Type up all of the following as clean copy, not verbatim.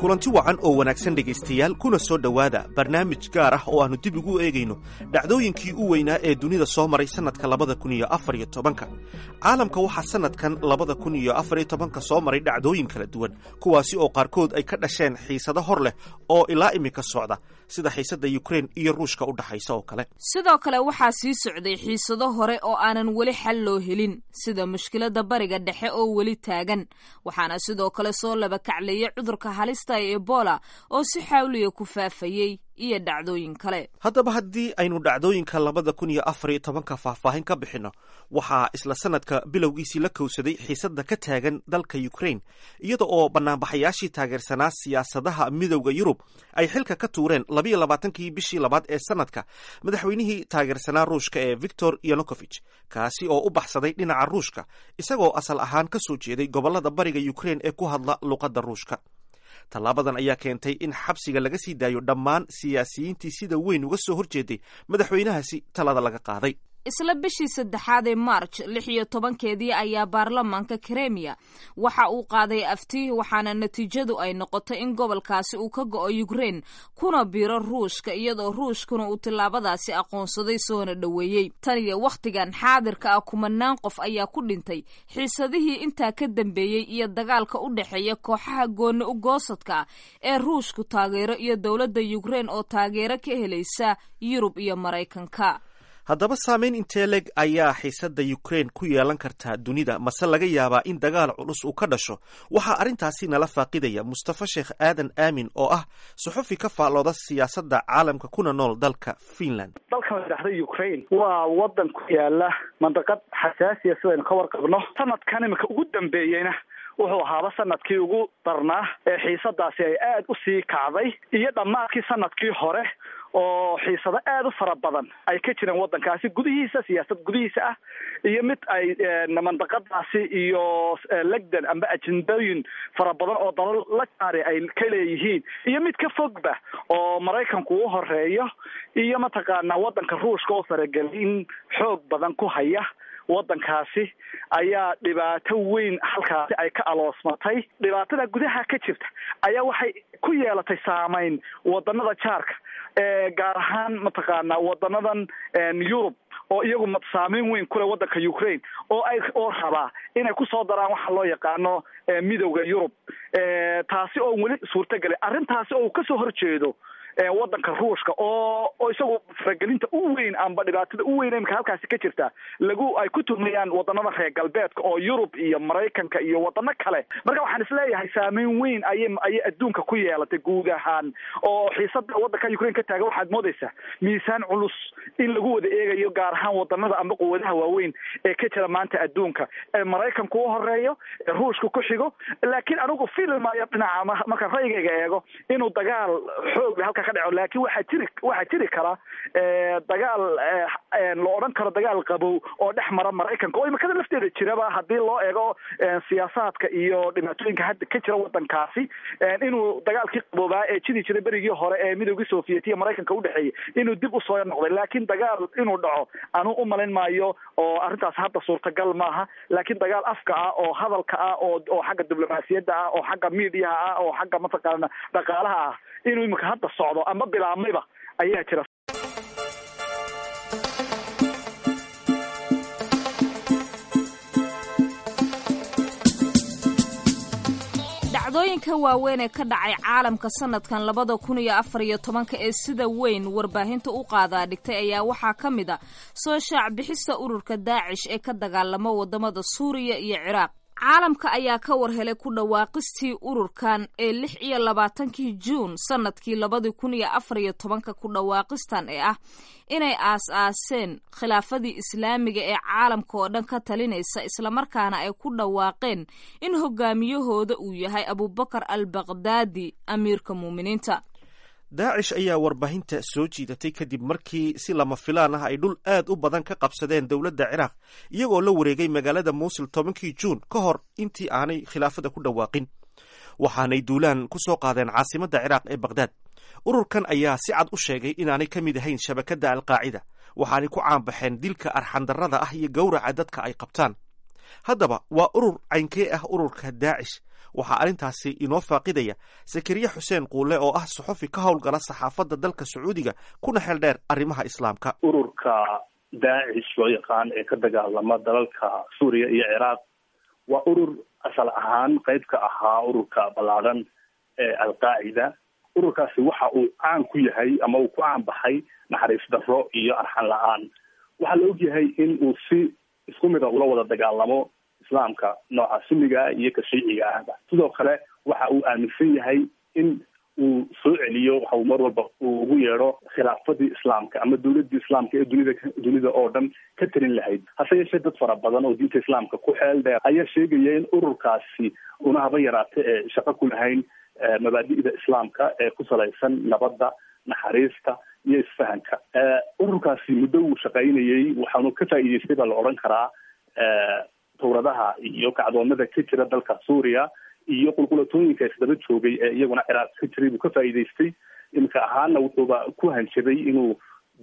Kulanti wacan oo wanaagsan, dhegaystayaal, kuna soo dhowaada barnaamij gaar ah oo aannu dib ugu eegayno dhacdooyinkii u weynaa ee dunida soo maray sannadka 2014-ka. Caalamka waxaa sannadkan 2014-ka soo maray dhacdooyin kala duwan, kuwaasi oo qaarkood ay ka dhasheen xiisado hor leh oo ilaa imika socda, sida xiisadda Yukrain iyo Ruushka u dhaxaysa oo kale. Sidoo kale waxaa sii socday xiisado hore oo aanan weli xal loo helin, sida mushkiladda Bariga Dhexe oo weli taagan. Waxaana sidoo kale soo laba kacleeyay cudurka halista ee Ebola oo si xawliya ku faafayey iyo dhacdooyin kale. Haddaba, haddii aynu dhacdooyinka 2014-ka faahfaahin ka bixinno, waxaa isla sanadka bilowgiisii la kowsaday xiisadda ka taagan dalka Ukrain, iyada oo banaanbaxayaashii taageersanaa siyaasadaha Midowda Yurub ay xilka ka tuureen 22-kii bishii labaad ee sanadka madaxweynihii taageersanaa Ruushka ee Victor Yanukovich, kaasi oo u baxsaday dhinaca Ruushka, isagoo asal ahaan ka soo jeeday gobollada bariga Ukrain ee ku hadla luqadda Ruushka. Tallaabadan ayaa keentay in xabsiga laga sii daayo dhammaan siyaasiyiintii sida weyn uga soo horjeeday madaxweynahaasi talada laga qaaday. Isla bishii saddexaad ee March 16-keedii ayaa baarlamaanka Kremiya waxa uu qaaday afti, waxaana natiijadu ay noqotay in gobolkaasi uu ka go'o Ukrain kuna biiro Ruushka, iyadoo Ruushkuna uu tillaabadaasi aqoonsaday soona dhoweeyey. Tan iyo wakhtigan xaadirka ah, kumanaan qof ayaa ku dhintay xiisadihii intaa ka dambeeyey iyo dagaalka u dhexeeya kooxaha gooni u goosadka ah ee Ruushku taageero iyo dowladda Ukrain oo taageero ka helaysa Yurub iyo Maraykanka. Haddaba, saameyn intee leeg ayaa xiisadda Ukrain ku yeelan kartaa dunida? Mase laga yaabaa in dagaal culus uu ka dhasho? Waxaa arrintaasi nala faaqidaya Mustafa Sheekh Aadan Aamin oo ah suxufi ka faallooda siyaasadda caalamka kuna nool dalka Finland. Dalkan la yidhaahda Ukraine waa wadan ku yaala mandaqad xasaasiya, sidaynu ka warqabno. Sanadkan imika ugu dambeeyeyna wuxuu ahaaba sanadkii ugu darnaa ee xiisadaasi ay aada u sii kacday, iyo dhammaadkii sanadkii hore oo xiisado aada u fara badan ay ka jireen waddankaasi gudihiisa, siyaasad gudihiisa ah iyo mid ay mandaqadaasi iyo legdan amba ajendooyin fara badan oo dalal la jaari ay ka leeyihiin, iyo mid ka fogba oo Maraykanku u horeeyo iyo mataqaanaa waddanka Ruushka oo faragelin xoog badan ku haya waddankaasi, ayaa dhibaato weyn halkaasi ay ka aloosmatay. Dhibaatada gudaha ka jirta ayaa waxay ku yeelatay saameyn wadanada jaarka, gaar ahaan mataqaanaa wadanadan Yurub oo iyagu saameyn weyn ku leh waddanka Ukraine, oo ay oo rabaa inay kusoo daraan waxa loo yaqaano Midowda Yurub, taasi oo weli suurtagelay arrintaasi oo uu kasoo horjeedo waddanka Ruushka oo isagu faragelinta u weyn amba dhibaatada u weyn imika halkaasi ka jirta lagu ay ku tuhmayaan wadanada reer galbeedka oo Yurub iyo Maraykanka iyo wadano kale. Marka waxaan isleeyahay saameyn weyn ayay adduunka ku yeelatay guud ahaan, oo xiisada waddanka Ukraine ka taagan waxaad moodaysaa miisaan culus in lagu wada eegayo, gaar ahaan wadanada amba quwadaha waaweyn ee ka jira maanta adduunka, ee Maraykanku u horeeyo, ee Ruushka ku xigo. Laakiin anigu fili maayo dhinaca marka ra'yigayga eego inuu dagaal xoog leh halka ka dhaco, laakiin waxaa jiri kara dagaal la odhan karo dagaal qabow oo dhex mara Maraykanka, oo imikada lafteeda jiraba haddii loo eego siyaasaadka iyo dhibaatooyinka hadda ka jira waddankaasi, inuu dagaalkii qaboobaa ee jiri jiray berigii hore ee Midoogii Sovietiya Maraykanka udhexeeyey inuu dib usoo noqday. Laakiin dagaal inuu dhaco anuu u malayn maayo, oo arrintaas hadda suurtagal maaha. Laakiin dagaal afka ah oo hadalka ah oo xagga diblomaasiyadda ah oo xagga miidiyaha ah oo xagga mataqaana dhaqaalaha ah inuu imika hadda socdo ama bilaabmayba ayaa jira. Dhacdooyinka waaweyn ee ka dhacay caalamka sanadkan 2014-ka ee sida weyn warbaahinta u qaadaa dhigtay ayaa waxaa ka mid a soo shaac bixista ururka Daacish ee ka dagaalama wadamada Suuriya iyo Ciraaq. Caalamka ayaa ka war helay ku dhawaaqistii ururkan ee 26-kii Juun sanadkii 2014-ka, ku dhawaaqistan ee ah inay aas-aaseen khilaafadii Islaamiga ee caalamka oo dhan ka talinaysa, islamarkaana ay ku dhawaaqeen in hogaamiyahooda uu yahay Abubakar al Baqdaadi, amiirka muuminiinta. Daacish ayaa warbaahinta soo jiidatay kadib markii si lama filaan ah ay dhul aad u badan ka qabsadeen dowladda Ciraaq, iyagoo la wareegay magaalada Muusil 10-kii Juun ka hor intii aanay khilaafada ku dhawaaqin. Waxaanay duulaan ku soo qaadeen caasimadda Ciraaq ee Baqhdaad. Ururkan ayaa si cad u sheegay inaanay ka mid ahayn shabakadda Alqaacida, waxaanay ku caanbaxeen dilka arxandarrada ah iyo gowraca dadka ay qabtaan. Haddaba, waa urur caynkee ah ururka Daacish? Waxaa arrintaasi inoo faaqidaya Sakariye Xuseen Quule, oo ah suxufi ka howlgala saxaafadda dalka Sacuudiga, kuna xeel dheer arrimaha Islaamka. Ururka Daacish loo yaqaan ee ka dagaalama dalalka Suuriya iyo Ciraaq waa urur asal ahaan qayb ka ahaa ururka ballaadhan ee Alqaacida. Ururkaasi waxa uu caan ku yahay ama uu ku caan baxay naxariis darro iyo arxan la-aan. Waxaa la ogyahay in uu si isku mida ula wada dagaalamo Islaamka nooca Sunniga iyo ka Shiiciga ahba. Sidoo kale waxa uu aaminsan yahay in uu soo celiyo waxa uu mar walba uu ugu yeedho khilaafadii Islaamka ama dowladii Islaamka ee dunida oo dhan ka talin lahayd. Hase yeeshee, dad fara badan oo diinta Islaamka ku xeel dheer ayaa sheegaya in ururkaasi una haba yaraata ee shaqo ku lahayn mabaadi'da Islaamka ee ku salaysan nabadda, naxariista iyo isfahanka. Ururkaasi muddo wuu shaqaynayey, waxaanu ka faa'iideystay baa la odhan karaa towradaha iyo kacdoonada ka jira dalka Suuriya iyo qulqulatooyinka isdaba joogay ee iyaguna Ciraaq ka jiray buu ka faa'iidaystay. Iminka ahaana wuxuuba ku hanjabay inuu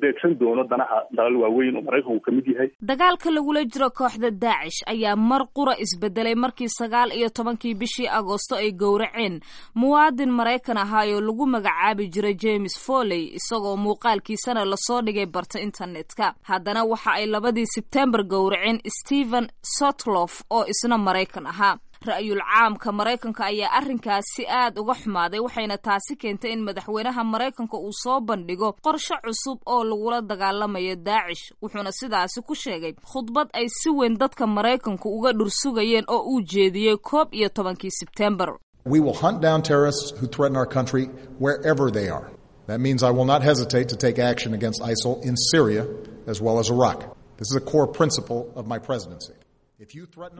beegsan doono danaha dalal waaweyn oo Maraykanku ka mid yahay. Dagaalka lagula jiro kooxda Daacish ayaa mar qura isbedelay markii 19-kii bishii Agoosto ay gowraceen muwaadin Maraykan ahaayoo lagu magacaabi jiray James Foley, isagoo muuqaalkiisana lasoo dhigay barta internetka. Haddana waxa ay 2-dii Sebtembar gowraceen Stephen Sotloff oo isna Maraykan ahaa. Ra'yul caamka Maraykanka ayaa arrinkaasi aad uga xumaaday, waxayna taasi keentay in madaxweynaha Maraykanka uu soo bandhigo qorshe cusub oo lagula dagaalamayo Daacish, wuxuuna sidaasi ku sheegay khudbad ay si weyn dadka Maraykanku uga dhursugayeen oo uu jeediyey 11-kii Sebtembar. We will hunt down terrorists who threaten our country wherever they are. That means I will not hesitate to take action against ISIL in Syria as well as Iraq. This is a core principle of my presidency.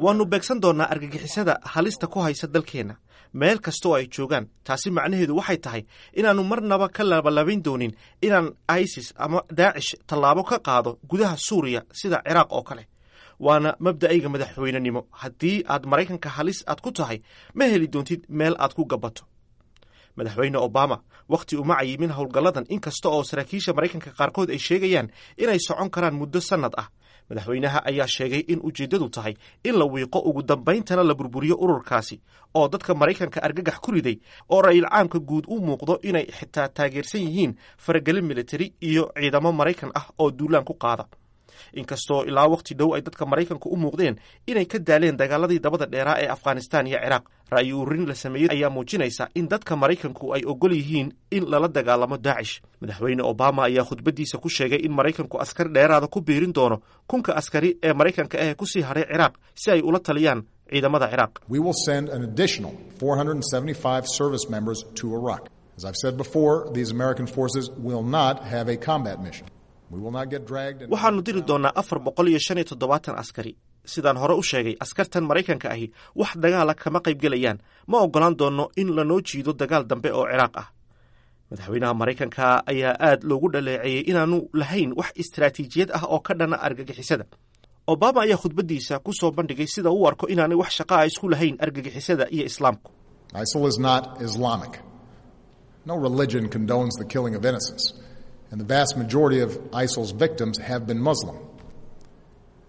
Waannu beegsan doonnaa argagixisada halista ku haysa dalkeenna meel kasta oo ay joogaan. Taasi macnaheedu waxay tahay inaannu marnaba ka labalabayn doonin inaan ISIS ama Daacish tallaabo ka qaado gudaha Suuriya sida Ciraaq oo kale. Waana mabda'ayga madaxweynenimo. Haddii aad Maraykanka halis aad ku tahay, ma heli doontid meel aad ku gabato. Madaxweyne Obama wakhti uma cayimin howlgalladan, inkasta oo saraakiisha Maraykanka qaarkood ay sheegayaan inay socon karaan muddo sannad ah. Madaxweynaha ayaa sheegay in ujeeddadu tahay in la wiiqo, ugu dambayntana la burburiyo ururkaasi oo dadka Maraykanka argagax ku riday, oo ra'yil caamka guud u muuqdo inay xitaa taageersan yihiin faragelin militari iyo ciidamo Maraykan ah oo duulaan ku qaada, inkastoo ilaa wakhti dhow ay dadka Maraykanka u muuqdeen inay ka daaleen dagaaladii dabada dheeraa ee Afghanistan iyo Ciraaq. Ra'yi ururin la sameeyey ayaa muujinaysa in dadka Maraykanku ay ogol yihiin in lala dagaalamo Daacish. Madaxweyne Obama ayaa khudbaddiisa ku sheegay in Maraykanku askar dheeraada ku biirin doono 1000-ka askari ee Maraykanka ah kusii hadhay Ciraaq si ay ula taliyaan ciidamada Ciraaq. We will send an additional 475 service members to Iraq. As I've said before, these American forces will not have a combat mission. Waxaannu diri doonnaa 475 askari. Sidaan hore u sheegay, askartan Maraykanka ahi wax dagaala kama qaybgelayaan. Ma oggolaan doonno in lanoo jiido dagaal dambe oo Ciraaq ah. Madaxweynaha Maraykanka ayaa aad loogu dhaleeceeyey inaanu lahayn wax istaraatiijiyad ah oo ka dhana argagixisada. Obama ayaa khudbaddiisa ku soo bandhigay sida uu arko inaanay wax shaqa ah isku lahayn argagixisada iyo Islaamku. ISIL is not Islamic. No religion condones the killing of innocents, and the vast majority of ISIL's victims have been Muslim.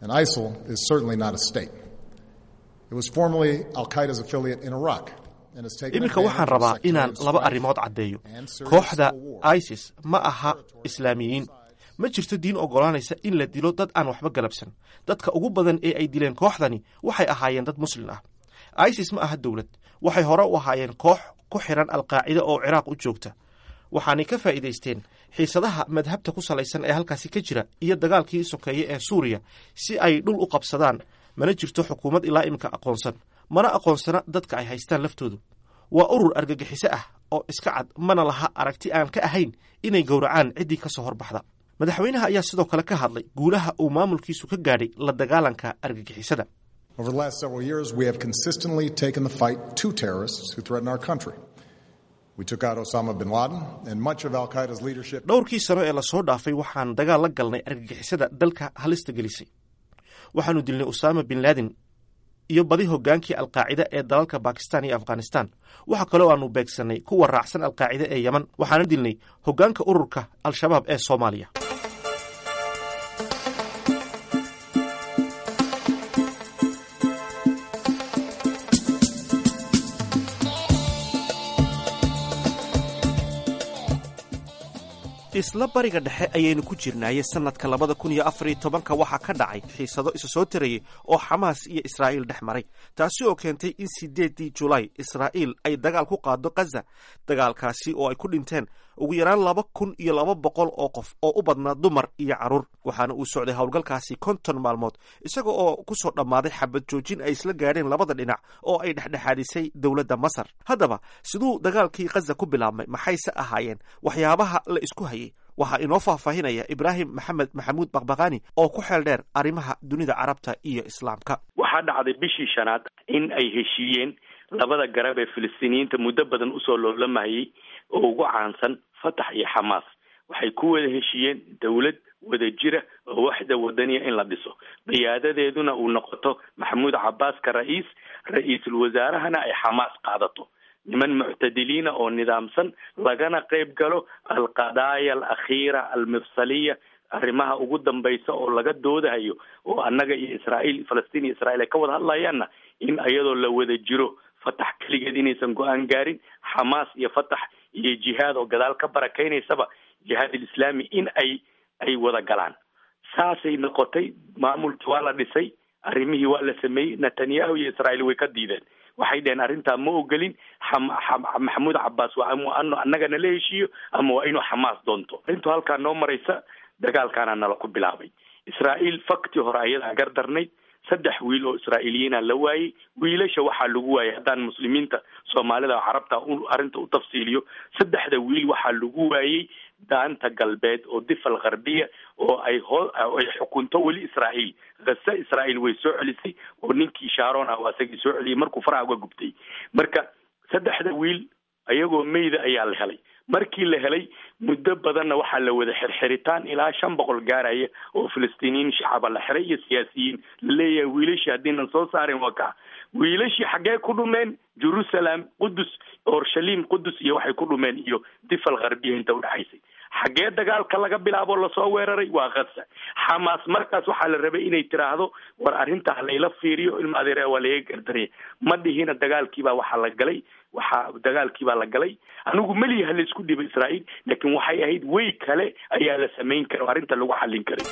And ISIL is certainly not a state. It was formerly Al Qaeda's affiliate in Iraq. Iminka waxaan rabaa inaan laba arrimood caddeeyo. Kooxda ISIS ma aha Islaamiyiin. Ma jirto diin oggolaanaysa in la dilo dad aan waxba galabsan. Dadka ugu badan ee ay dileen kooxdani waxay ahaayeen dad Muslin ah. ISIS ma aha dowlad. Waxay hore u ahaayeen koox ku xiran Alqaacida oo Ciraaq u joogta, waxaanay ka faa'iidaysteen xiisadaha madhabta ku salaysan ee halkaasi ka jira iyo dagaalkii sokeeye ee Suuriya si ay dhul u qabsadaan. Mana jirto xukuumad ilaa iminka aqoonsan, mana aqoonsana dadka ay haystaan laftoodu. Waa urur argagixiso ah oo iska cad, mana laha aragti aan ka ahayn inay gowracaan ciddii ka soo horbaxda. Madaxweynaha ayaa sidoo kale ka hadlay guulaha uu maamulkiisu ka gaadhay la dagaalanka argagixisada. Over the last several years, we have consistently taken the fight to terrorists who threaten our country. We took out Osama bin Laden and much of Al Qaeda's leadership. Dhowrkii sano ee lasoo dhaafay waxaan dagaal la galnay argagixisada dalka halista gelisay. Waxaanu dilnay Usama bin Laden iyo badi hoggaankii Alqaacida ee dalalka Bakistan iyo Afghanistan. Waxa kaloo aanu beegsannay kuwa raacsan Alqaacida ee Yeman, waxaana dilnay hoggaanka ururka Al-Shabaab ee Soomaaliya. Isla Bariga Dhexe ayaynu ku jirnaaye, sannadka 2014-ka waxaa ka dhacay xiisado isa soo tarayay oo Xamaas iyo Israa'iil dhex maray, taasi oo keentay in 8-dii Julaay Israa'iil ay dagaal ku qaado Khaza, dagaalkaasi oo ay ku dhinteen ugu yaraan 2200 oo qof oo u badnaa dumar iyo carruur. Waxaana uu socday howlgalkaasi 50 maalmood, isaga oo ku soo dhammaaday xabad joojin ay isla gaadheen labada dhinac oo ay dhexdhexaadisay dowladda Masar. Haddaba, siduu dagaalkii Khaza ku bilaabmay? Maxayse ahaayeen waxyaabaha la isku hayay? Waxaa inoo faahfaahinaya Ibraahim Maxamed Maxamuud Baqbaqani oo ku xeel dheer arrimaha dunida Carabta iyo Islaamka. Waxaa dhacday bishii shanaad in ay heshiiyeen labada garab ee Filistiiniyiinta muddo badan usoo loolamayay oo ugu caansan Fatax iyo Xamaas. Waxay ku wada heshiiyeen dowlad wada jira oo waxda wadaniya in la dhiso, qiyaadadeeduna uu noqoto Maxamuud Cabaaska ra'iis, ra-iisul wasaarahana ay Xamaas qaadato, niman muctadiliina oo nidaamsan, lagana qayb galo alqadaaya alakhiira almifsaliya, arrimaha ugu dambaysa oo laga doodahayo oo annaga iyo Israa'iil, Falastiin iyo Israiil ay ka wada hadlayaanna, in iyadoo la wada jiro, Fatax keligeed inaysan go-aan gaarin, Xamaas iyo Fatax iyo Jihaad oo gadaal ka barakaynaysaba, Jihaad Alislaami, in ay wada galaan. Saasay noqotay. Maamulkii waa la dhisay, arrimihii waa la sameeyey. Netanyahu iyo Israa'iil way ka diideen. Waxay dheheen, arrintaa ma ogolin. Maxamuud Cabbaas waa anu annagana la heshiiyo ama waa inuu Xamaas doonto. Arrintu halkaa noo maraysa, dagaalkaana nala ku bilaabay. Israa'iil faktii hore ayadaa gardarnayd. Saddex wiil oo Israa'iiliyiina la waayey. Wiilasha waxaa lagu waayey, haddaan Muslimiinta Soomaalida oo Carabta arrinta u tafsiiliyo, saddexda wiil waxaa lagu waayey Daanta Galbeed oo Difa Algharbiya oo ay xukunto weli Israa'iil. Ghaza Israa'iil way soo celisay oo ninkii Sharon ah asagii soo celiyey markuu faraha uga gubtay. Marka saddexda wiil ayagoo meyda ayaa la helay. Markii la helay muddo badanna waxaa la wada xirxiritaan ilaa 500 gaaraya oo Filistiiniyiin shacaba la xiray iyo siyaasiyiin, laleeyahay wiilashii haddiinan soo saarin waa kaa. Wiilashii xaggee ku dhumeen? Jerusalem, Qudus, Orshalim, Qudus iyo waxay ku dhumeen iyo Difa Algharbiya inta udhexaysay. Xaggee dagaalka laga bilaabo lasoo weeraray? Waa Khaza. Xamaas markaas waxaa la rabay inay tiraahdo, war arrintaa layla fiiriyo, ilma adeer, waa laga gardaraya. Ma dhihina. Dagaalkiibaa waxaa la galay, waxaa dagaalkiibaa la galay. Anigu meliyaha la isku dhibo Israa'iil, laakiin waxay ahayd way kale ayaa la samayn kara oo arrinta lagu xallin karay.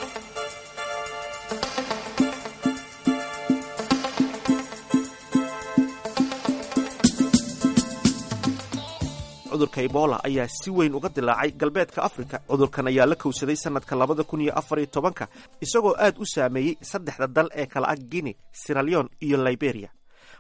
Cudurka Ebola ayaa si weyn uga dilaacay galbeedka Afrika. Cudurkan ayaa la kowsaday sanadka 2014-ka, isagoo aad u saameeyey saddexda dal ee kala ah Guinea, Sierra Leone iyo Liberia.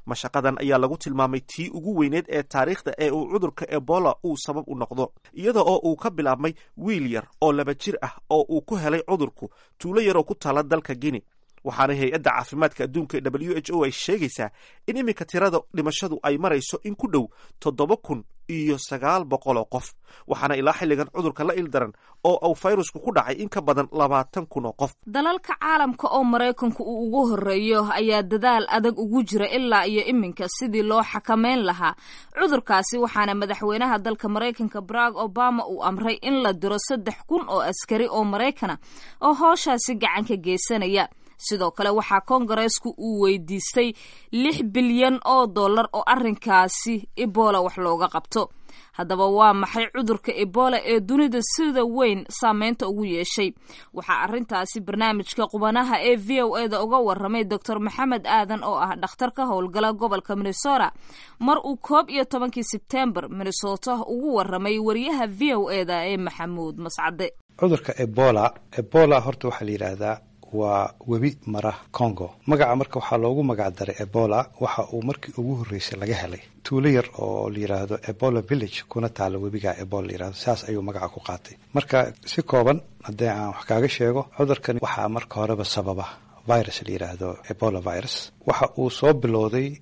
Mashaqadan ayaa lagu tilmaamay tii ugu weyneed ee taariikhda ee uu cudurka Ebola uu sabab u noqdo, iyada oo uu ka bilaabmay wiil yar oo 2 jir ah oo uu ku helay cudurku tuulo yaroo ku taala dalka Guinea. Waxaana Hay-adda Caafimaadka Adduunka WHO ay sheegaysaa in iminka tirada dhimashadu ay marayso in ku dhow 7900 oo qof, waxaana ilaa xilligan cudurka la ildaran oo uu fayrusku ku dhacay in ka badan 20,000 oo qof. Dalalka caalamka oo Maraykanku uu ugu horeeyo ayaa dadaal adag ugu jira ilaa iyo iminka sidii loo xakameyn lahaa cudurkaasi, waxaana madaxweynaha dalka Maraykanka Barack Obama uu amray in la diro 3000 oo askari oo Maraykana oo hooshaasi gacan ka geysanaya. Sidoo kale waxaa Koongareesku uu weydiistay 6 bilyan oo dollar oo arrinkaasi Ebola wax looga qabto. Haddaba, waa maxay cudurka Ebola ee dunida sida weyn saameynta ugu yeeshay? Waxaa arrintaasi barnaamijka qubanaha ee VOA-da uga waramay Doctor Maxamed Aadan oo ah dhakhtar ka howlgala gobolka Minnesota, mar uu 11-kii Sebtembar Minnesota ugu waramay wariyaha VOA-da ee Maxamuud Mascade. Cudurka Ebola, Ebola horta waxaa la yidhaahdaa waa webi mara Congo. Magaca marka waxaa loogu magac daray Ebola waxa uu markii ugu horreysay laga helay tuulo yar oo la yidhaahdo Ebola Village, kuna taala webiga Ebola la yihahdo. Saas ayuu magaca ku qaatay. Marka si kooban haddii aan wax kaaga sheego, cudurkan waxaa marka horeba sababa virus la yidhaahdo Ebola virus. Waxa uu soo bilowday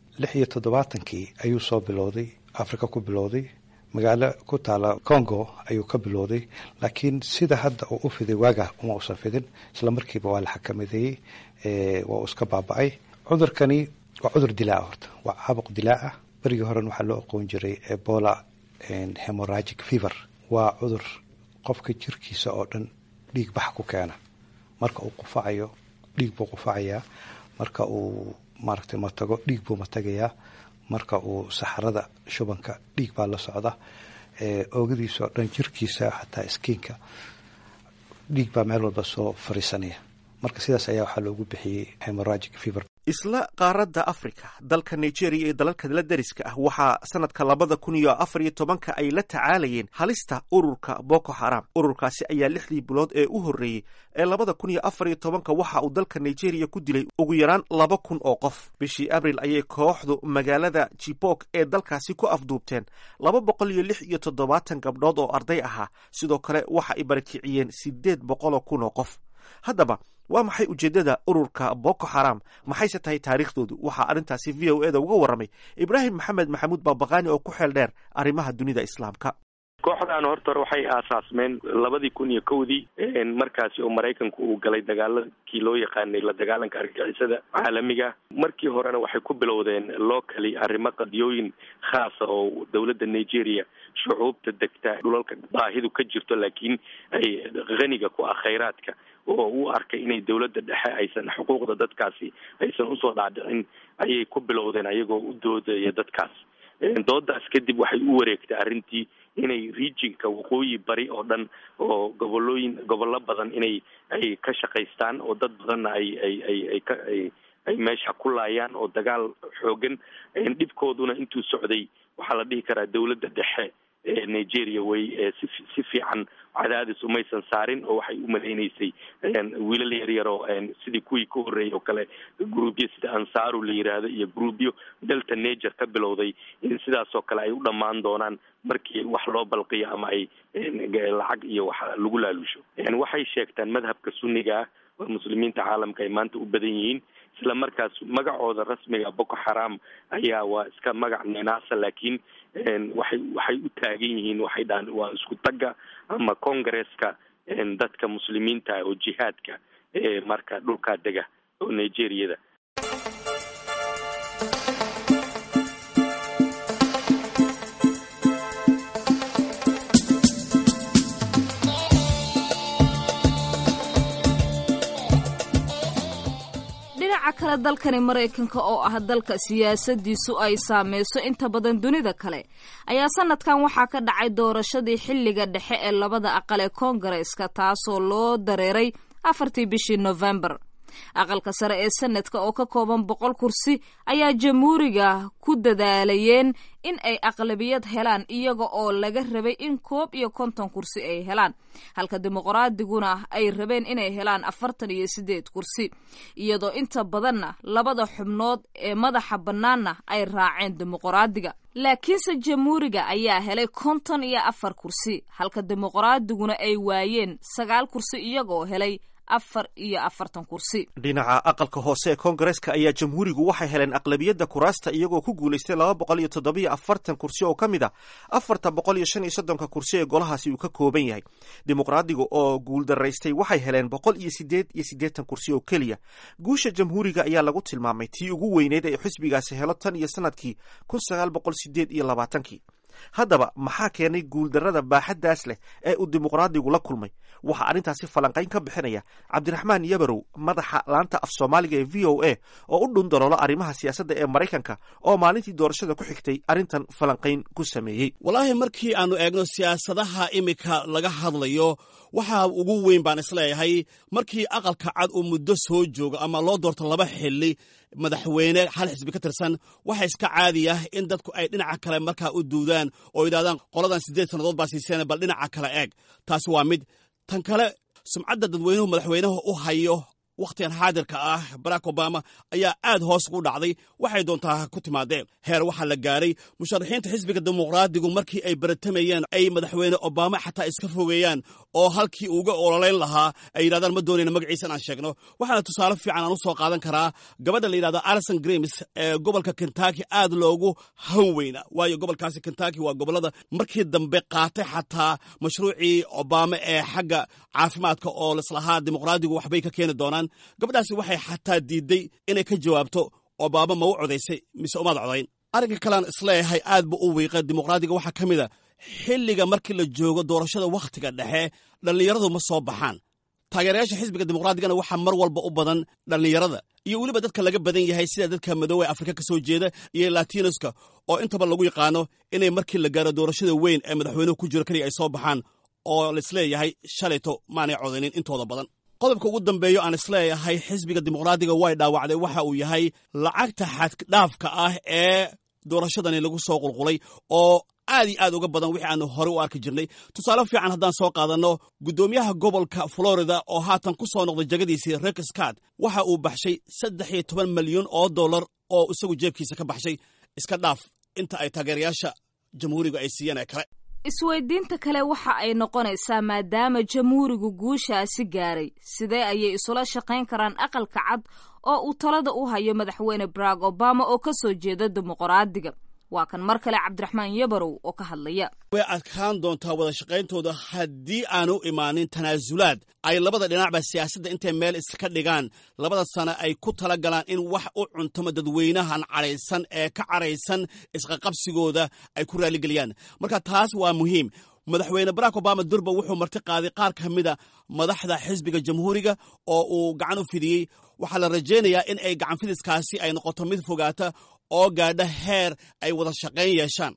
76-kii ayuu soo bilowday, Africa ku bilowday, magaalo ku taala Congo ayuu ka bilowday. Laakiin sida hadda uu u fiday waaga uma usan fidin. Isla markiiba waa la xakamadeeyey, waa uu iska baaba-ay. Cudurkani waa cudur dilaa, horta waa caabuq dilaa ah. Berigii horena waxaa loo aqoon jiray Ebola hemorrhagic fever. Waa cudur qofka jirkiisa oo dhan dhiig bax ku keena. Marka uu qufacayo dhiig buu qufacayaa, marka uu maaragtay matago dhiig buu matagayaa, marka uu saxarada shubanka dhiig baa la socda, oogadiisa oo dhan, jirkiisa, xataa skin-ka Dhiig baa meel walba soo fariisanaya. Marka sidaas ayaa waxaa loogu bixiyey hemorrhagic fever. Isla qaaradda Africa, dalka Nigeria iyo dalalka la deriska ah waxaa sanadka 2014-ka ay la tacaalayeen halista ururka Boko Xaram. Ururkaasi ayaa 6dii bilood ee u horreeyey ee 2014-ka waxa uu dalka Nigeria ku dilay ugu yaraan 2000 oo qof. Bishii Abril ayay kooxdu magaalada Jibok ee dalkaasi ku afduubteen 276 gabdhood oo arday ahaa. Sidoo kale waxa ay barakiciyeen 800,000 oo qof. Haddaba, waa maxay ujeeddada ururka Boko Xaram? Maxayse tahay taariikhdoodu? Waxaa arrintaasi VOA da uga warramay Ibraahim Maxamed Maxamuud Baabaqaani oo ku xeel dheer arrimaha dunida Islaamka. Kooxdan horta hore waxay aasaasmeen 2001-dii, markaasi oo Maraykanku uu galay dagaalakii loo yaqaanay la dagaalanka argagixisada caalamiga. Markii horena waxay ku bilowdeen locally, arrimo qadiyooyin khaasa oo dowladda Nigeria, shucuubta degta dhulalka baahidu ka jirto laakiin ay qaniga ku ah khayraadka, oo u arkay inay dowladda dhexe aysan xuquuqda dadkaasi aysan usoo dhaadhicin, ayay ku bilowdeen ayagoo u doodaya dadkaas. Doodaas kadib waxay u wareegtay arrintii inay regionka waqooyi bari oo dhan oo gobolooyin gobollo badan inay ay ka shaqaystaan, oo dad badanna ay ay ay ay ka ay ay meesha ku laayaan, oo dagaal xoogan dhibkooduna intuu socday waxaa la dhihi karaa dowladda dhexe ee Nigeria way si fiican cadaadis umaysan saarin, oo waxay u malaynaysay wiilal yaryar oo sidii kuwii ka horreeyay oo kale, groupyo sida Ansaaru la yiraahdo iyo groupyo Delta Niger ka bilowday, in sidaas oo kale ay u dhammaan doonaan markii wax loo balqiyo ama ay lacag iyo wax lagu laalusho. Waxay sheegtaan madhabka Sunniga ah oo Muslimiinta caalamka ay maanta u badan yihiin. Isla markaas magacooda rasmiga Boko Xaram ayaa waa iska magac ninaasa, laakiin waxay u taagan yihiin, waxay dhahaan, waa isku tagga ama congresska dadka Muslimiinta oo jihaadka ee marka dhulkaa dega oo Nigeriyada. Dhinaca kale, dalkani Maraykanka oo ah dalka siyaasadiisu ay saameyso inta badan dunida kale ayaa sanadkan waxaa ka dhacay doorashadii xilliga dhexe ee labada aqal ee Koongareeska, taasoo loo dareeray 4-tii bishii Novembar. Aqalka sare ee Senadka oo ka kooban 100 kursi ayaa Jamhuuriga ku dadaalayeen in ay aqlabiyad helaan, iyaga oo laga rabay in 51 kursi ay helaan, halka Dimuqraadiguna ay rabeen inay helaan 48 kursi, iyadoo inta badanna labada xubnood ee madaxa bannaanna ay raaceen Dimuqraadiga. Laakiinse Jamhuuriga ayaa helay 54 kursi, halka Dimuqraadiguna ay waayeen 9 kursi, iyagoo helay 44 kursi. Dhinaca aqalka hoose ee Koongareeska ayaa Jamhuurigu waxay heleen aqlabiyadda kuraasta, iyagoo ku guulaystay 247 kursi oo ka mid a 435-ka kursi ee golahaasi uu ka kooban yahay. Dimuqraadiga oo guuldaraystay waxay heleen 188 kursi oo keliya. Guusha Jamhuuriga ayaa lagu tilmaamay tii ugu weyneyd ee xisbigaasi helo tan iyo sanadkii 1928-kii. Haddaba, maxaa keenay guuldarrada baaxaddaas leh ee uu Dimuqraadigu la kulmay? Waxaa arrintaasi falanqayn ka bixinaya Cabdiraxmaan Yabarow, madaxa laanta af Soomaaliga ee VOA oo u dhundaloola arrimaha siyaasadda ee Maraykanka, oo maalintii doorashada ku xigtay arrintan falanqayn ku sameeyey. Walaahi, markii aanu eegno siyaasadaha iminka laga hadlayo, waxaa ugu weyn baan isleeyahay markii Aqalka Cad uu muddo soo joogo ama loo doorto laba xili madaxweyne hal xisbi ka tirsan, waxa iska caadi ah in dadku ay dhinaca kale markaa u duudaan oo yidhahdaan, qoladan 8 sannadood baa siiseen, bal dhinaca kale eeg. Taasi waa mid. Tan kale, sumcadda dadweynuhu madaxweynaha u hayo wakhtigan xaadirka ah, Barack Obama, ayaa aad hoos ugu dhacday. Waxay doontaa ku timaadeen heer waxaa la gaaray musharaxiinta xisbiga Dimuqraadigu markii ay baratamayeen ay madaxweyne Obama xataa iska fogeeyaan, oo halkii uga ololeyn lahaa ay yidhahdaan, ma doonayna magaciisa inaan sheegno. Waxaana tusaale fiican aan u soo qaadan karaa gabadha la yidhahdo Alison Grimes ee gobolka Kentucky aad loogu han weyna, waayo gobolkaasi Kentucky waa gobollada markii dambe qaatay xataa mashruucii Obama ee xagga caafimaadka oo lislahaa Dimuqraadigu waxbay ka keeni doonaan. Gabadhaasi waxay xataa diiday inay ka jawaabto Obama ma u codaysay mise umaad codayn. Arrinka kalean isleeyahay aad bu u wiiqa Dimuqraadiga waxaa ka mid a xilliga markii la joogo doorashada wakhtiga dhexe dhallinyaradu ma soo baxaan. Taageerayaasha xisbiga Dimuqraadigana waxaa mar walba u badan dhallinyarada iyo weliba dadka laga badan yahay, sida dadka madoowe Afrika ka soo jeeda iyo Latinoska, oo intaba lagu yaqaano inay markii la gaaro doorashada weyn ee madaxweynuhu ku jiro keliya ay soo baxaan. oo laisleeyahay shalayto maanay codanin intooda badan. Qodobka ugu dambeeyo aan isleeyahay xisbiga dimuqraadiga way dhaawacday waxa uu yahay lacagta xaddhaafka ah ee doorashadani lagu soo qulqulay oo aad iyo aad uga badan wixii aanu horey u arki jirnay. Tusaale fiican haddaan soo qaadanno, guddoomiyaha gobolka Florida oo haatan ku soo noqday jagadiisii, Rick Scott, waxa uu baxshay 13 malyan oo dollar oo isagu jeebkiisa ka baxshay, iska dhaaf inta ay taageerayaasha jamhuuriga ay siiyeen ee kale. Isweydiinta kale waxa ay noqonaysaa, maadaama jamhuurigu guushaasi gaaray, sidee ayay isula shaqayn karaan Aqalka Cad oo uu talada u hayo madaxweyne Barack Obama oo ka soo jeeda dimuqraadiga? Waa kan mar kale Cabdiraxmaan Yabarow oo ka hadlaya. Way adkaan doontaa wada shaqayntooda haddii aanu imaanin tanaasulaad ay labada dhinacba siyaasadda intay meel iska dhigaan, labada sano ay ku tala galaan in wax u cuntamo dadweynahan cadhaysan ee ka cadhaysan isqaqabsigooda ay ku raaligeliyaan. Marka taas waa muhiim. Madaxweyne Barack Obama durba wuxuu marti qaaday qaar ka mida madaxda xisbiga jamhuuriga oo uu gacan u fidiyey. Waxaa la rajaynayaa in ay gacan fidiskaasi ay noqoto mid fogaata oo gaadha heer ay wada shaqayn yeeshaan.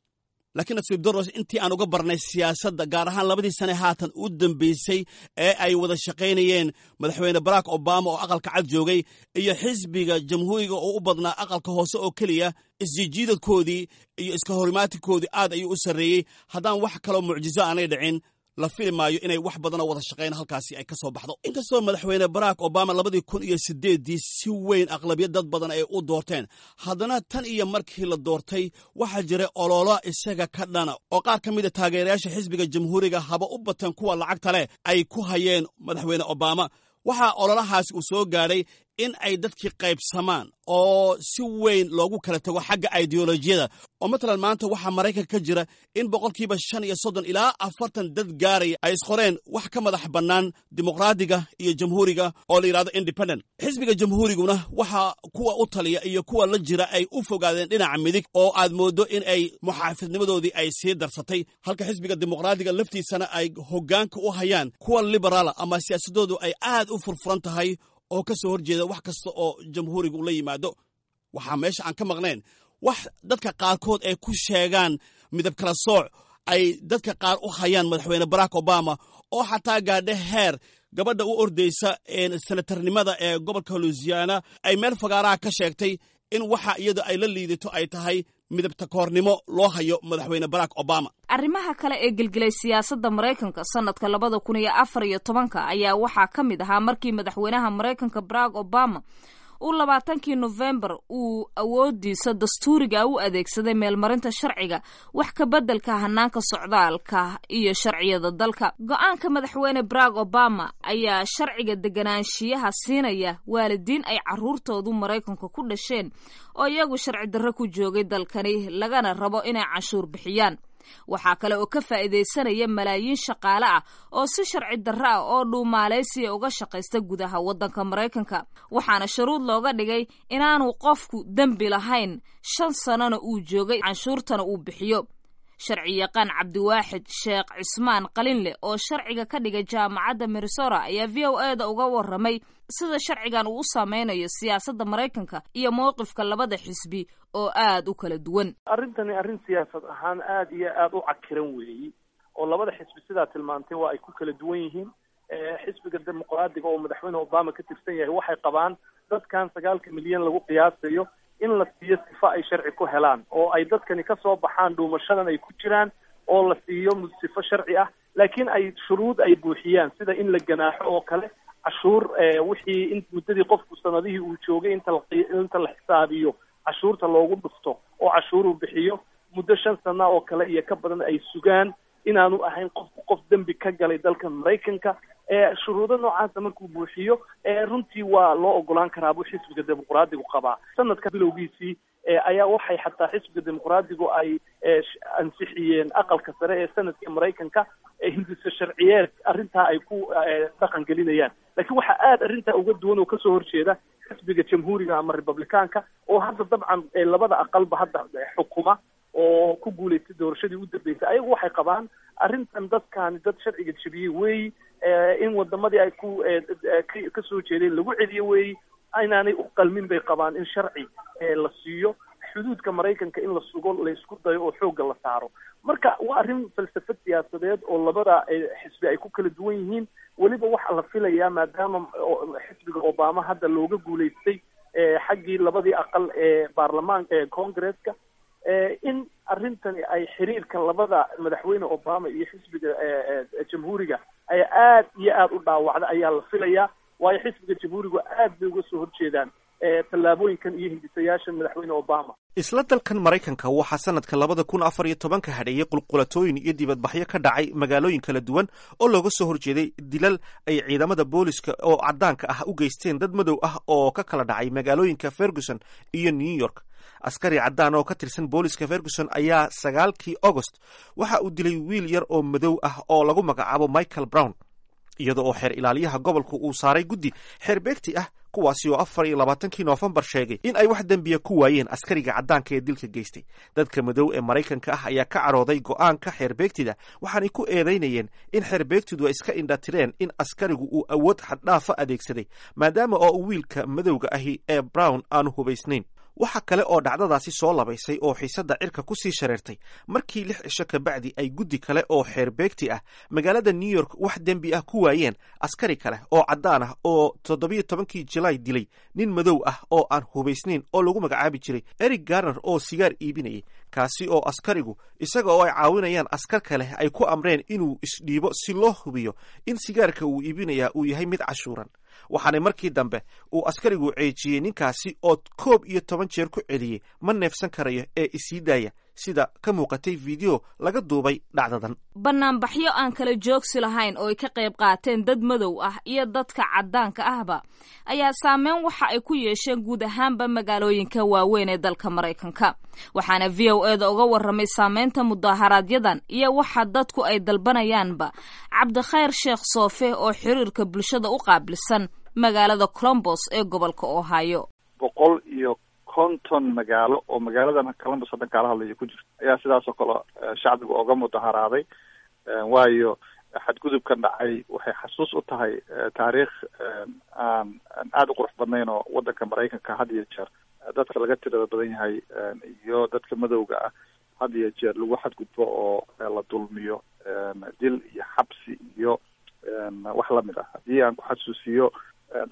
Laakiin nasiib daros, intii aan uga barnay siyaasadda, gaar ahaan labadii sane haatan u dambeysay ee ay wada shaqaynayeen madaxweyne Barack Obama oo Aqalka Cad joogay iyo xisbiga jamhuuriga oo u badnaa aqalka hoose oo keliya, isjijiidadkoodii iyo iska horimaatikoodii aad ayuu u sarreeyey. Haddaan wax kaloo mucjiso aanay dhicin, la fili maayo inay wax badanoo wada shaqayn halkaasi ay ka soo baxdo. Inkastoo madaxweyne Barack Obama 2008-dii si weyn aqlabiyad dad badan ay u doorteen, haddana tan iyo markii la doortay waxaa jiray ololo isaga ka dhana oo qaar ka mida taageerayaasha xisbiga jamhuuriga, haba u bateen kuwa lacagta leh, ay ku hayeen madaxweyne Obama. Waxaa ololahaasi uu soo gaadhay in ay dadkii qaybsamaan oo si weyn loogu kala tago xagga ideolojiyada, oo matalan maanta waxaa Maraykanka ka jira in 35% ilaa 40 dad gaaraya ay isqoreen wax ka madax bannaan dimuqraadiga iyo jamhuuriga oo la yidhahdo independent. Xisbiga jamhuuriguna waxaa kuwa u taliya iyo kuwa la jira ay u fogaadeen dhinaca midig oo aad mooddo in ay muxaafidnimadoodii ay sii darsatay, halka xisbiga dimuqraadiga laftiisana ay hoggaanka u hayaan kuwa liberaala ama siyaasadoodu ay aad u furfuran tahay oo ka soo horjeeda wax kasta oo jamhuurigu la yimaado. Waxaa meesha aan ka maqnayn wax dadka qaarkood ay ku sheegaan midab kala sooc ay dadka qaar u hayaan madaxweyne Barack Obama, oo xataa gaadha heer gabadha u ordaysa senatarnimada ee gobolka Louisiana ay meel fagaaraha ka sheegtay in waxa iyada ay la liidato ay tahay midabta koornimo loo hayo madaxweyne Barack Obama. Arrimaha kale ee gelgelay siyaasadda Maraykanka sanadka 2014-ka ayaa waxaa ka mid ahaa markii madaxweynaha Maraykanka Barack Obama uu 20-kii Nofembar uu awoodiisa dastuuriga u adeegsaday meelmarinta sharciga wax ka beddelka hanaanka socdaalka iyo sharciyada dalka. Go-aanka madaxweyne Barack Obama ayaa sharciga deganaanshiyaha siinaya waalidiin ay caruurtoodu Maraykanka ku dhasheen oo iyagu sharci darro ku joogay dalkani, lagana rabo inay canshuur bixiyaan. Waxaa kale oo ka faa'iidaysanaya malaayiin shaqaale ah oo si sharci darro ah oo dhuumaaleysiya uga shaqaysta gudaha waddanka Maraykanka, waxaana shuruud looga dhigay inaanu qofku dembi lahayn, 5 sanona uu joogay, canshuurtana uu bixiyo. Sharci yaqaan Cabdiwaaxid Sheekh Cismaan Qalinleh oo sharciga ka dhigay Jaamacadda Minnesota ayaa VOA da uga warramay sida sharcigan uu u saameynayo siyaasadda Maraykanka iyo mowqifka labada xisbi oo aada u kala duwan. Arrintani arrin siyaasad ahaan aada iyo aada u cakiran weeyi, oo labada xisbi sidaa tilmaantay waa ay ku kala duwan yihiin. Xisbiga dimuqraadiga oo madaxweyne Obama ka tirsan yahay waxay qabaan dadkan 9-ka milyan lagu qiyaasayo in la siiyo sifo ay sharci ku helaan, oo ay dadkani ka soo baxaan dhuumashadan ay ku jiraan, oo la siiyo sifo sharci ah, laakiin ay shuruud ay buuxiyaan, sida in la ganaaxo oo kale, cashuur wixii in muddadii qofku sanadihii uu joogay inta la xisaabiyo cashuurta loogu dhufto oo cashuur uu bixiyo muddo 5 sana oo kale iyo ka badan ay sugaan, inaanu ahayn qofku qof dembi ka galay dalka Maraykanka. Shuruudo noocaasa markuu buuxiyo, runtii waa loo ogolaan karaa buu xisbiga dimuqraadigu qabaa. Sanadka bilowgiisii ayaa waxay xataa xisbiga dimuqraadigu ay ansixiyeen aqalka sare ee sanadka Maraykanka hindise sharciyeed arrintaa ay ku dhaqan gelinayaan. Laakiin waxaa aada arrintaa uga duwan oo kasoo horjeeda xisbiga jamhuuriga ama republicaanka, oo hadda dabcan labada aqalba hadda xukuma oo ku guulaystay doorashadii u dambeysay. Ayagu waxay qabaan arrintan dadkaani dad sharciga jebiyey weeyi, in wadamadii ay ku kasoo jeedeen lagu celiyo weeyi, inaanay u qalmin bay qabaan in sharci la siiyo. Xuduudka Maraykanka in la sugo laysku dayo oo xoogga la saaro. Marka waa arrin falsafad siyaasadeed oo labada xisbi ay ku kala duwan yihiin. Weliba waxaa la filayaa, maadaama xisbiga Obama hadda looga guulaystay xaggii labadii aqal ee baarlamaanka ee Congresska, in arrintani ay xiriirka labada madaxweyne Obama iyo xisbiga Jamhuuriga ay aad iyo aada u dhaawacda ayaa la filayaa, waayo xisbiga Jamhuurigu aad bay uga soo horjeedaan tallaabooyinkan iyo hindisayaasha madaxweyne Obama. Isla dalkan Maraykanka waxaa sanadka 2014-ka hadheeyey qulqulatooyin iyo dibadbaxyo ka dhacay magaalooyin kala duwan oo looga soo horjeeday dilal ay ciidamada booliska oo caddaanka ah u geysteen dad madow ah oo ka kala dhacay magaalooyinka Ferguson iyo New York. Askari caddaan oo ka tirsan booliska Ferguson ayaa 9-kii Agost waxa uu dilay wiil yar oo madow ah oo lagu magacaabo Michael Brown, iyada oo xeer ilaaliyaha gobolku uu saaray guddi xeerbeegti ah, kuwaasi oo 24-kii Noofembar sheegay in ay wax dembiya ku waayeen askariga caddaanka ee dilka geystay. Dadka madow ee Maraykanka ah ayaa ka cadhooday go'aanka xeerbeegtida, waxaanay ku eedaynayeen in xeerbeegtidu ay iska indhatireen in askarigu uu awood xaddhaafa adeegsaday, maadaama oo wiilka madowga ahi ee Brown aanu hubaysnayn. Waxa kale oo dhacdadaasi soo labaysay oo xiisadda cirka ku sii shareertay markii 6 cisho kabacdi ay guddi kale oo xeerbeegti ah magaalada New York wax dembi ah ku waayeen askari kale oo caddaan ah oo 17-kii Julaay dilay nin madow ah oo aan hubaysnayn oo lagu magacaabi jiray Eric Garner oo sigaar iibinayay, kaasi oo askarigu isaga oo ay caawinayaan askar kale ay ku amreen inuu isdhiibo si loo hubiyo in sigaarka uu iibinayaa uu yahay mid cashuuran. Waxaana markii dambe uu askarigu ceejiyey ninkaasi oo 11 jeer ku celiyey "Ma neefsan karayo ee isii daaya", sida ka muuqatay video laga duubay dhacdadan. Banaanbaxyo aan kala joogsi lahayn oo ay ka qayb qaateen dad madow ah iyo dadka caddaanka ahba ayaa saameyn waxa ay ku yeesheen guud ahaanba magaalooyinka waaweyn ee dalka Maraykanka. Waxaana VOA-da uga warramay saameynta mudaaharaaadyadan iyo waxa dadku ay dalbanayaanba Cabdikhayr Sheekh Soofe oo xiriirka bulshada u qaabilsan magaalada Columbus ee gobolka Ohio. 150 magaalo oo magaaladan Columbus haddan kaala hadlaya ku jirto ayaa sidaas oo kale shacbiga oga mudaharaaday, waayo xadgudubkan dhacay waxay xasuus u tahay taariikh aan aada u qurux badnayn oo waddanka Maraykanka had iyo jeer dadka laga tirada badan yahay iyo dadka madowga ah had iyo jeer lagu xadgudbo oo la dulmiyo, dil iyo xabsi iyo wax lamid ah. Haddii aan ku xasuusiyo,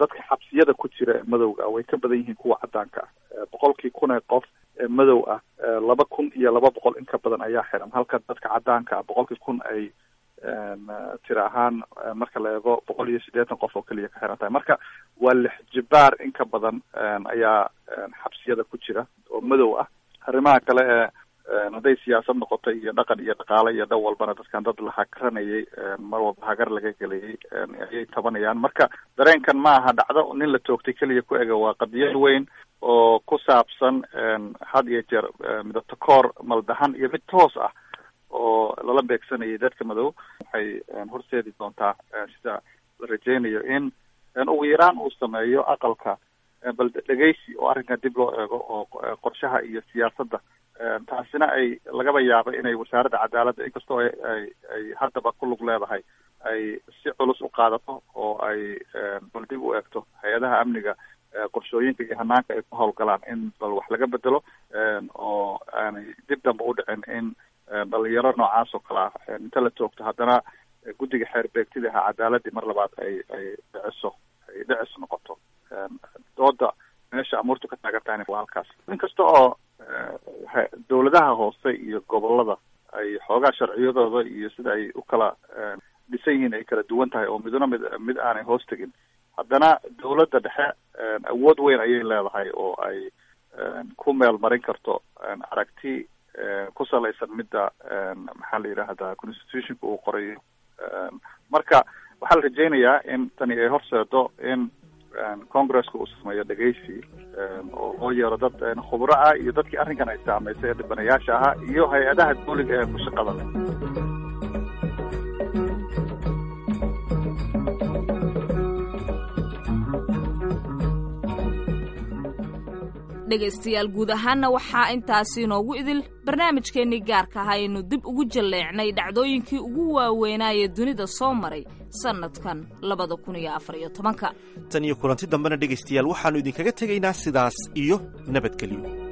dadka xabsiyada ku jira ee madowga ah way ka badan yihiin kuwa caddaanka ah. 100-kii kun ee qof ee madow ah, 2200 in ka badan ayaa xiran, halka dadka caddaanka ah 100-kii kun ay tira ahaan marka la eego 180 qof oo keliya ka xiran tahay. Marka waa lix jibaar in ka badan ayaa xabsiyada ku jira oo madow ah. Arrimaha kale ee hadday siyaasad noqoto iyo dhaqan iyo dhaqaale iyo dhan walbana, dadkan dad la hagranayay, mar walba hagar laga gelayay ayay tabanayaan. Marka dareenkan ma aha dhacdo nin la toogtay keliya ku ega, waa qadiyad weyn oo ku saabsan had iyo jeer midabta koor maldahan iyo mid toos ah oo lala beegsanayay dadka madow. Waxay horseedi doontaa, sida la rajeynayo, in ugu yaraan uu sameeyo aqalka bal dhegeysi oo arrinkan dib loo eego oo qorshaha iyo siyaasadda, taasina ay lagaba yaabo inay wasaaradda cadaaladda, inkastoo ay haddaba ku lug leedahay, ay si culus u qaadato oo ay bal dib u eegto hay-adaha amniga, qorshooyinka iyo hanaanka ay ku howlgalaan in bal wax laga bedelo oo aanay dib dambe u dhicin in dhalinyaro noocaas oo kale ah inta la toogto haddana guddiga xeer beegtida ahaa cadaaladii mar labaad ay dhiciso, ay dhicis noqoto. Dooda meesha amuurtu ka taagan tahayna waa halkaas. Inkasta oo dowladaha hoose iyo gobolada ay xoogaa sharciyadooda iyo sida ay u kala dhisan yihiin ay kala duwan tahay oo midna mid aanay hoos tegin, haddana dowladda dhexe awood weyn ayay leedahay oo ay ku meel marin karto aragti ku salaysan midda, maxaa la yidhaahdaa, constitutionka uu qorayo. Marka waxaa la rajeynayaa in tani ay horseedo in Congresska uu sameeyo dhegeysi oo loo yeero dad khubro ah iyo dadkii arrinkan ay saamaysay ee dhibanayaasha ahaa iyo hay-adaha dawliga ee ku shaqada leh. Dhegaystayaal, guud ahaanna waxaa intaasi inoogu idil barnaamijkeennii gaarka ah aynu dib ugu jalleecnay dhacdooyinkii ugu waaweynaayee dunida soo maray sannadkan 2014-ka. Tan iyo kulanti dambena, dhegaystayaal, waxaannu idinkaga tegaynaa sidaas iyo nabadgelyo.